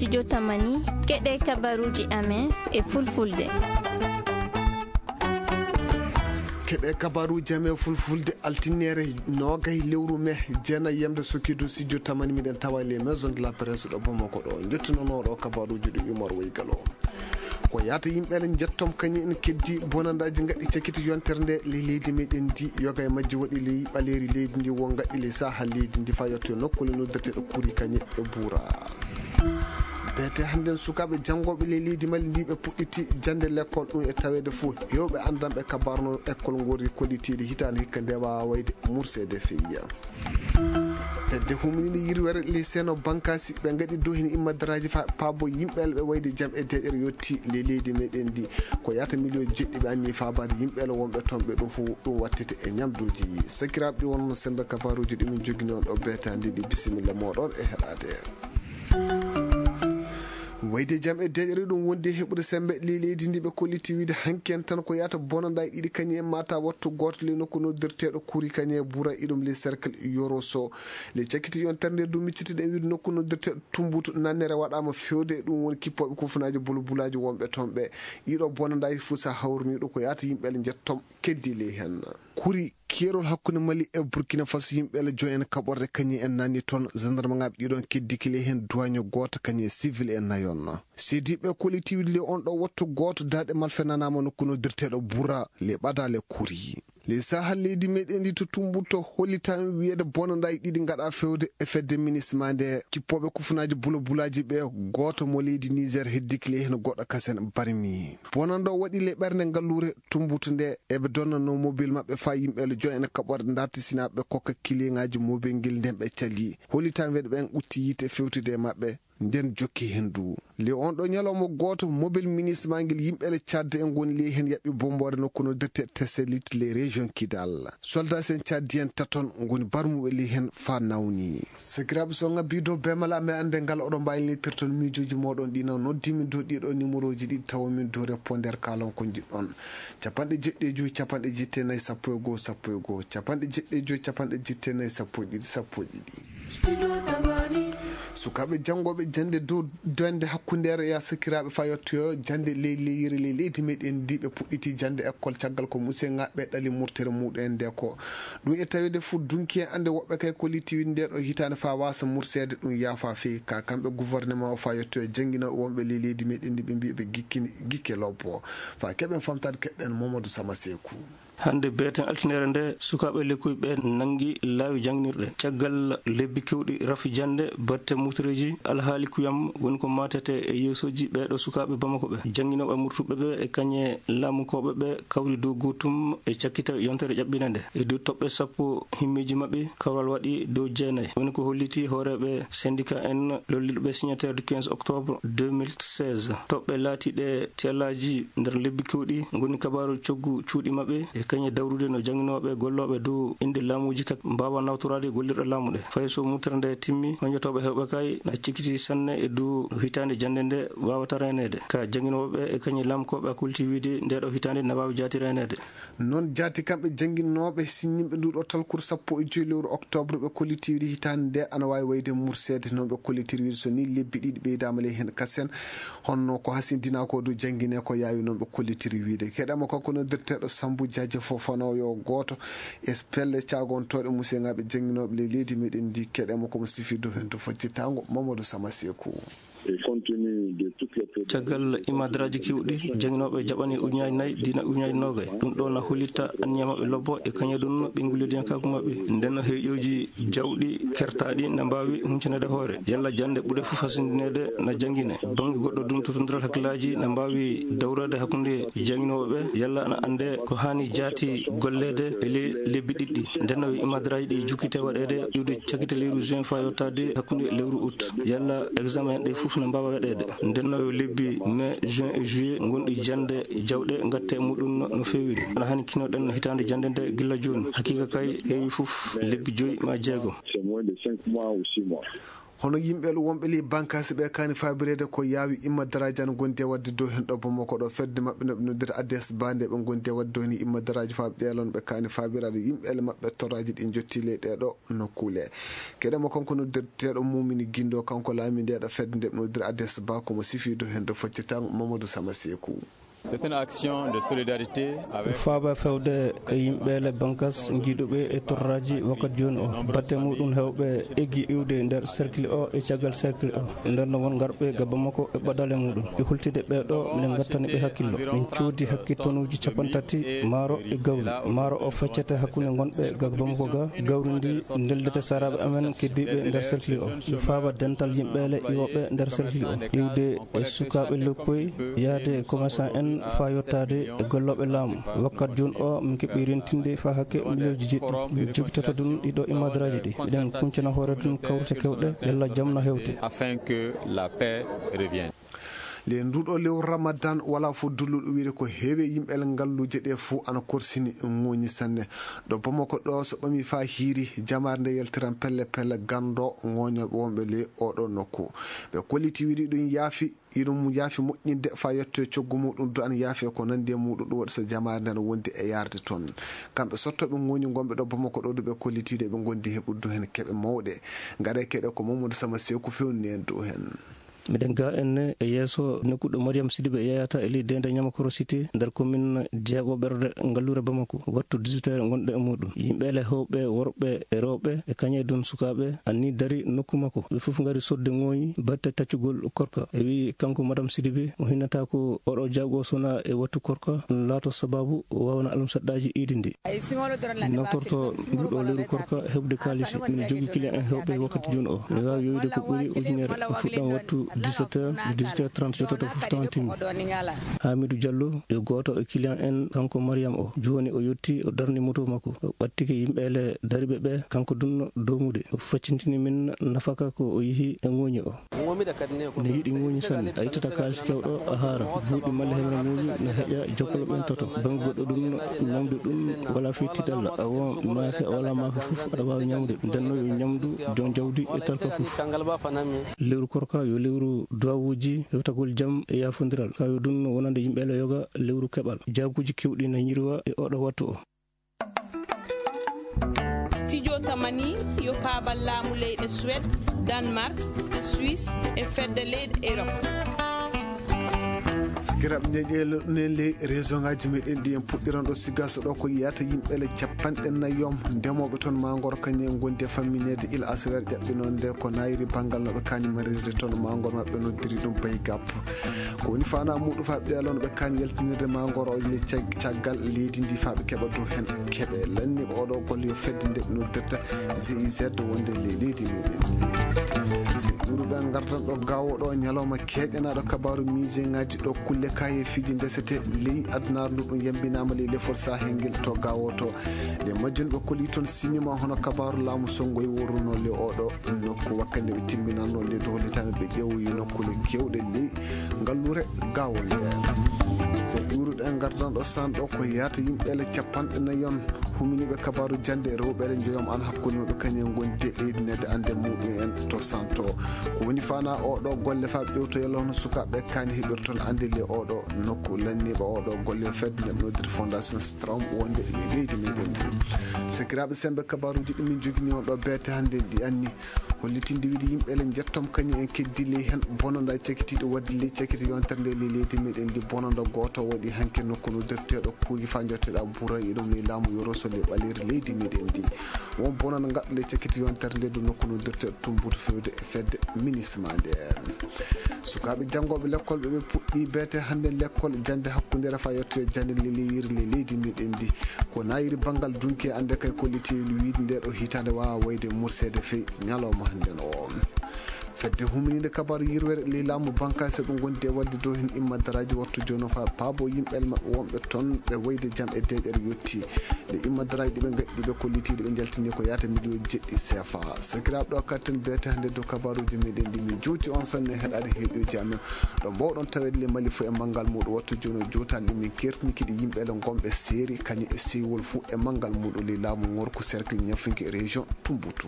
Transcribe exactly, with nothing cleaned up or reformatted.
Studio Tamani, keɗe kabaruji amen e fulfulde. Keɗe kabaruji amen fulfulde, altinere nogay lewru me, jeenay yamde sokkidu studio Tamani, miɗen tawa le maison de la presse ɗo Bamako ɗo. Jottunono ɗo kabaruji ɗi Umar Wey Galo. Ko yaata yimɓe ene jettom kañum en keddi bonandaji gaɗɗi cakkiti yontere nde le leydi meɗen ndi, yoga e majji waɗi ley ɓaleri leydi ndi, wo gaɗɗi le saha leydi ndi fa yetto e nokkuule noddeteɗo kuri kañe e buura. Beete hannden sukaaɓe janngoɓe ley leydi Mali ndi ɓe puɗɗiti jannde lekkol ɗum e taweede fof heewɓe anndanɓe kabarno ekkol ngori kollitiiɗi hitaande hikka nde waawa wayde murseede feeya. Fedde humnini yirwere ley seno bankasi ɓe ngaɗi dow heen immadaraaji fa paabo yimɓe ɓe wayde jam e deeƴere yotti ley leydi meɗen ndi. Ko yaata miliyon jeɗɗi ɓe anni faabaade yimɓe wonɓe toon ɓe ɗum fof ɗum wattete e ñamduuji. Sakiraaɓe ɗi wonno sembe kabaruuji ɗi min jogini on ɗo beetaandi ndi, bisimilla mooɗon e heɗaade. Wayde jam e deeƴere ɗum wondi e heɓude sembe ley leydi ndi ɓe kolliti wiide hanki en tan ko yaata bonanda e ɗiɗi kañum en mata wattu gooto ley nokku noddirteeɗo kuri kañum e bura iɗum ley cercle yoroso. Ley cakkiti yontere nde du miccitiɗen wiide nokku noddirteeɗo tumbutu nannere waɗama fewde e ɗum woni kippooɓe kufunaaji bulbulaaji wonɓe toon ɓe. Ɗiɗo bonandaaji fof so hawriniiɗo ko yaata yimɓe ele njettom keddi ley heen. Kuri keerol hakkunde Mali e Burkina Faso, yimɓe ele joy en kaɓorde kañum en nanni toon, gendarme ŋaaɓe ɗiɗon keddiki ley heen, duwaño gooto kañum e civil en nayon. Seediiɓe kollitiiwde ley on ɗo wattu gooto daaɗe malfe nanaama nokku noddirteeɗo Bura ley ɓadaale Kuri. Ley saha leydi meɗen ndi to Tumbuto hollitaama wiyeede bonandaaji ɗiɗi ngaɗa fewde e fedde minisma nde kippooɓe kufunaaji bulabulaaji ɓe, gooto mo leydi Niger heddiki ley heen goɗɗo kasen barmi. Bonando waɗi ley ɓernde ngalluure Tumbuto nde eɓe donnanoo mobil maɓɓe faa yimɓe ele joy ene kaɓorde dartisinaaɓe ɓe kokka kiliŋaaji mobil ngel nden ɓe cali. Hollitaama wiyeede ɓen ɓutti yiite fewtude e maɓɓe. Nden jokki heen du. Ley on ɗo ñalawma gooto, mobile minisma ngel yimɓe ele Tchad en ngoni ley heen yaɓɓi bomboore nokku no dette Tesselit ley région Kidal. Soldat sen Tchad en taton ngoni barmuɓe ley heen faa nawni. Sakiraaɓe, so ngabbi dow bemala, mi annde ngal oɗon mbaawi litirton miijooji mooɗon ɗi no noddi min dow ɗiɗo numéroji ɗi tawa min dow reponder kaalon ko njiɗɗon. Capanɗe jeɗɗi e joy, capanɗe jetti e nayi, sappo e goo, sappo e goo, capanɗe jeɗɗi e joy, capanɗe jetti e nayi, sappo e ɗiɗi, sappo e ɗiɗi. Sukaaɓe janngooɓe jannde dow dande hakkundeere ya sakiraaɓe faa yettoyo jannde ley leyre ley leydi meɗen ndi ɓe puɗɗiti jannde école caggal ko museŋaaɓe ɗali murtere muɗen nde ko ɗum e taweede fof dunki en annde woɓɓe kay ko litti wiɗde nde ɗo hitaande faa waasa murseede ɗum yaafa fey ka kamɓe gouvernement o faa yettoyo jannginooɓe wonɓe ley leydi meɗen ndi ɓe mbiya ɓe gikkini gikke lobbo faa keɓen famtaade keɗɗen Mamadou Sama Seeku. Hannde beeten altinere nde, sukaaɓe lekkoy ɓe nanngi laawi jannginirɗe. Caggal lebbi keewɗi rafi jannde, batte mutoreeji, alhaali kuyam woni ko maatete e yeesooji ɓee ɗo sukaaɓe Bamako ɓe. Jannginooɓe murtuɓe ɓe e kañe laamukooɓe ɓe kawri dow gootum e cakkita yontere ƴaɓɓinande. E dow toɓɓe sappo himmeeji maɓɓe, kawral waɗi dow jeenayi. Woni ko holliti hooreeɓe syndicat en lolliiɓe ɓe signature du quinze octobre deux mille seize. Toɓɓe laatiiɗe tiyallaaji nder lebbi keewɗi ngoni kabaaru coggu cuuɗi maɓɓe e kañe dawrude no jannginooɓe gollooɓe dow innde laamuuji kak mbaawa nawtoraade gollirɗe laamu ɗe. Fay so mutere nde timmi, mañotooɓe heewɓe kay na cikkiti sanne e dow hitaande jannde nde waawata reeneede. Ka jannginooɓe ɓe e kañe laamkooɓe a kulti wiide nde ɗo hitaande na waawi jaati reeneede. Noon jaati kamɓe jannginooɓe siññinɓe ndu ɗo talkuru sappo e joy lewru octobre ɓe kollitiiɗi hitaande nde ana waawi wayde murseede noon ɓe kollitiri wiide so ni lebbi ɗiɗi ɓeydaama ley heen kasen. Honno ko hasindinaa ko dow janngine ko yaawi noon ɓe kollitiri wiide. Keɗama kanko noddirteeɗo Sambu Jaaje Fofana yo gooto e pelle caagontooɗe musiyŋaaɓe jannginooɓe ley leydi meɗen ndi. Keɗama komo sifi dow heen to fojjitaango Mamadou Sama Seeku. Caggal imadaraaji keewɗi, jannginooɓe jaɓani ujunaaji nayi, dina ujunaaji noogay. Ɗum ɗo na hollita anniya maɓɓe lobbo e kañadun ɓe ngullidiyankaaku maɓɓe. Nden no heeƴooji jawɗi kertaaɗi na mbaawi huncanaade hoore. Yalla jannde ɓure fof hasindineede na janngine. Bannge goɗɗo dun totondiral hakkillaaji na mbaawi dawraade hakkunde jannginooɓe ɓe. Yalla ana annde ko haani jaati golleede e ley lebbi ɗiɗɗi. Nden no imadaraaji ɗi jukkite waɗeede iwde cakkite lewru juin faa yottaade hakkunde lewru août. Yalla examen ɗe fof na mbaawa waɗeede. Nden no yo lebbi mai, juin e juillet ngonɗi jannde jawɗe ngatte e muɗum no, no feewiri. Ana haani kinoɗen hitaande jannde nde gilla jooni. Hakiika kay heewi fof lebbi joy ma jeego. C'est moins de cinq mois ou six mois. Hono yimɓe wonɓe ley bankaasi ɓe kaani faabireede ko yaawi immadaraaji ana ngondi e waɗde dow heen ɗo Bamako ɗo fedde maɓɓe no ɓe noddirta A D S ba nde ɓe ngondi e waɗde dow heen immadaraaji faabiɗe ɗon ɓe kaani faabiraade yimɓe maɓɓe torraaji ɗi njotti ley ɗee ɗo nokkuule. Keɗe mo kanko noddirteeɗo Mumini Gindo kanko laami nde ɗo fedde nde ɓe noddirta A D S ba ko mo sifi dow heen ɗo foccita Mamadou Sama Seeku. C'est une action de solidarité avec Faaba fewde e yimɓe le bankas njiiduɓe e torraaji wakkati jooni o. Batte muɗum hewɓe eggi iwde nder cercle o e caggal cercle o. Nder no won ngarɓe ga Bamako e ɓadale muɗum. E hultide ɓe ɗo, min ngattani ɓe hakkillo. Min coodi hakke tonuuji capantati maaro e gawri. Maaro o feccete hakkunde ngonɓe ga Bamako ga. Gawri ndi ndeldete saraaɓe amen keddiiɓe nder cercle o. Mi faaba dental yimɓe le iwoɓe nder cercle o. Iwde e sukaaɓe lokkoy, yahde e commerçant en faa yottaade e gollooɓe laamu. Wakkat jooni o, min keɓi rentinde faa hakke miliyonji jeɗɗi. Min jogitoto ɗum ɗiɗo e madaraaji ɗi. Eɗen kuncana hoore ɗum kawrite kewɗe, yalla jam na hewte. Afin que la paix revienne. Nde nduɗo lewru Ramadan wala fof dulluɗo wiide ko heewi yimɓe ngalluuje ɗe fof ana korsini ŋooñi sanne. Ɗo Bamako ɗo so ɓami faa hiiri, jamaare nde yaltiran pelle pelle ganndo ŋooñooɓe wonɓe ley oɗo nokku. Ɓe kolliti wiide ɗum yaafi Iɗum yaafi moƴƴinde faa yettoye coggu muɗum, du'an yaafe ko nanndi e muɗum, ɗum waɗi so jamaare nden wondi e yaarde toon. Kamɓe sottooɓe ŋooñi ngonɓe ɗo Bamako ɗo, ɗum ɓe kollitiiɗo eɓe ngondi heɓude heen keɓe mawɗe. Ngaɗe keɗe ko Mamadou Sama Seeku fewni en dow heen. Miɗen ga enne e yeeso nokku ɗo Mariam Sidibe yeyata e ley deende Ñamakoro Cité nder commune jeego ɓerde ngalluure Bamako. Wattu dix-huit heures ngonɗo e muɗum. Yimɓe le hewɓe worɓe e rewɓe e kañe dun sukaaɓe anni dari nokku makko. Ɓe fof ngari sodde ŋooñi batte taccugol korka. E wi kanko Madame Sidibé, mo hinnata ko oɗo jaago sona e wattu korka, ɗum laato sababu o wawana almusaɗɗaaji iidi ndi. Mi naftorto nduɗo lewru korka heɓde kaalisi. Miɗo jogii client en hewɓe wakkati jooni o. Mi waawi yowiide ko ɓuri ujunere. Fuɗɗam wattu dix-sept heures, dix-huit heures trente yottoto fof tawan timmi. Hamidou Diallo, yo gooto e client en, kanko Mariam o. Jooni o yotti, o darni moto makko. O ɓattike yimɓe ele dariɓe ɓe, kanko dunno domude. O faccintini min nafaka ko o yihi e ŋooñi o. Ne yiɗi ŋooñi sanne. A ittata kaalisi kewɗo, a haara. Buuɗi malla heɓra ŋooñi, ne heƴa jokkolo ɓen toto. Bannge goɗɗo ɗum, ñamdu ɗum, wala fii tiɗalla. Awa maafe, a wala maafe fof, aɗa waawi ñamde. Ndenno yo ñamdu, jon jawdi e talka fof. Lewru korka yo lewru duwawuuji, hewtagol jam e yaafondiral. Ka yo dunno wonande yimɓe ele yoga lewru keɓal. Jaaguuji kewɗi na ñirwa e oɗo wattu o. Studio Tamani yo paabal laamu leyɗe Suède, Danemark, Suisse e fedde leyɗe Europe. Sikiraaɓe, ñeeƴe leɗɗe ley région ngaji meɗen ɗi en puɗɗiran ɗo Sigaso ɗo ko yiyata yimɓe le capanɗe nayom ndemooɓe toon maa ngor kañum en ngondi e fammineede il aswer ƴaɓɓinoonde ko naayiri banngal no ɓe kaani marirde toon maa ngor maɓɓe noddiri ɗum Baygap. Ko woni faanaa muuɗum faa ɓe ɗeeloo no ɓe kaani yaltinirde maa ngor o le cag-, caggal leydi ndi faa ɓe keɓa dow heen keɓe. Lanniiɓe oɗo golle yo fedde nde ɓe noddirta G I Z wonde ley leydi meɗen. Si ɗuɗuɓe ngardan ɗo gawo ɗo ñalawma keeƴanaaɗo kabaaru miijeŋaaji ɗo kulle kaayeefiiji ndesete ley adunaaru ndu ɗum yambinaama ley lefol Sahel ngel to gawo to. Nde majjunɓe koli toon sinima hono kabaaru laamu Sonngo e worruno le oɗo nokku wakkati nde ɓe timminanno nde doolitaami ɓe ƴeewoyi nokkuule keewɗe ley ngalluure gawo nde. So ƴuuruɗe ngardan ɗo san ɗo ko yaata yimɓe ele capanɗe nayon huminiiɓe kabaaru jannde e rewɓe ele njoyom an hakkunde maɓɓe kañum en ngondi e ɓeydinede annde muɗum en to santo. Ko woni faanaa oɗo golle faa ɓewtoyal hono sukaaɓe kaani heɓirton annde le oɗo nokku lanniiɓe oɗo golle fedde nde ɓe noddirta Fondation Strom wonde e leydi meɗen ndi. Sakiraaɓe sembe kabaaruuji ɗi min jogini on ɗo beete hannde ndi anni. Hollitinde wiide yimɓe ele njettom kañum en keddi ley heen bononda cakitiiɗo waɗde ley cakiti yontere nde ley leydi meɗen ndi bononda gooto waɗi hanke nokku noddirteeɗo kuuji faa jotteɗa buura e ɗum ley laamu yoroso ley ɓaleeri leydi meɗen ndi. Won bononda ngaɗɗo ley cakiti yontere nde du nokku noddirteeɗo Tumbutu fewde e fedde minisma nde. Sukaaɓe janngooɓe lekkol ɓe ɓe puɗɗi beete hannde lekkol jannde hakkundere faa yettoyo jannde leleyiri le leydi meɗen ndi. Ko naayiri banngal dunki annde kay kolliti wiide nde ɗo hitaande waawa wayde murseede fey ñalawma hannden o. Fedde huminiinde kabaaru yirwere ley laamu bankaase ɓe ngondi e waɗde dow heen immadaraaji wattu jooni o faa paabo yimɓe maɓɓe wonɓe toon ɓe wayde jam e deeƴere yotti. Nde immadaraaji ɗi ɓe ngaɗi ɗi ɓe kollitiiɗi ɓe njaltini ko yaata miliyon jeɗɗi C F A. Sakiraaɓe ɗo katten beete hannde dow kabaaruuji meɗen ɗi min juuti on sanne heɗaade heɗiyoji amen. Ɗo mbawɗon taweede le Mali fof e manngal muɗum wattu jooni o jootan ɗi min kertini kiɗi yimɓe ele ngonɓe seeri kañum e seywol fof e manngal muɗum ley laamu ngorko cercle ñafinke région Tumbutu.